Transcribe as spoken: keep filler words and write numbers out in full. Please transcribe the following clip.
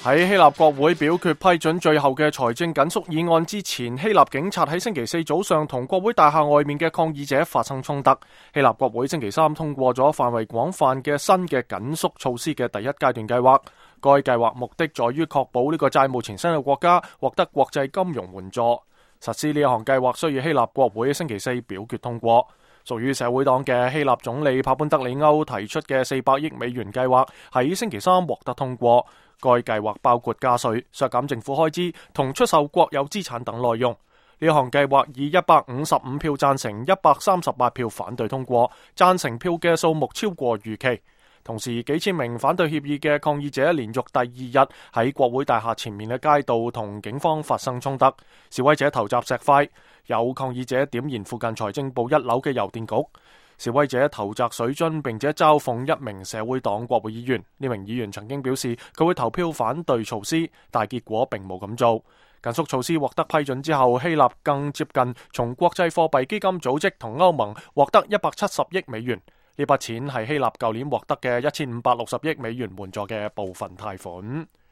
喺希臘國會表決批准最後嘅財政緊縮議案之前，希臘警察喺星期四早上同國會大廈外面嘅抗議者發生衝突。希臘國會星期三通過咗範圍廣泛嘅新嘅緊縮措施嘅第一階段計劃。該計劃目的在於確保呢個債務纏身嘅國家獲得國際金融援助。實施呢一項計劃需要希臘國會星期四表決通過。屬於社會黨嘅希臘總理帕潘德里歐提出嘅四百億美元計劃喺星期三獲得通過。該計劃包括加稅、削減政府開支同出售國有資產等內容。呢項計劃以一百五十五票贊成、一百三十八票反對通過，贊成票嘅數目超過預期。同時，幾千名反對協議嘅抗議者連續第二日喺國會大廈前面嘅街道同警方發生衝突，示威者投擲石塊，有抗議者點燃附近財政部一樓嘅郵電局，示威者投擲水樽並且嘲諷一名社會黨國會議員。呢名議員曾經表示佢會投票反對措施，但結果並冇咁做。緊縮措施獲得批准之後，希臘更接近從國際貨幣基金組織同歐盟獲得一百七十億美元。呢筆錢係希臘舊年獲得嘅一千五百六十億美元援助嘅部分貸款。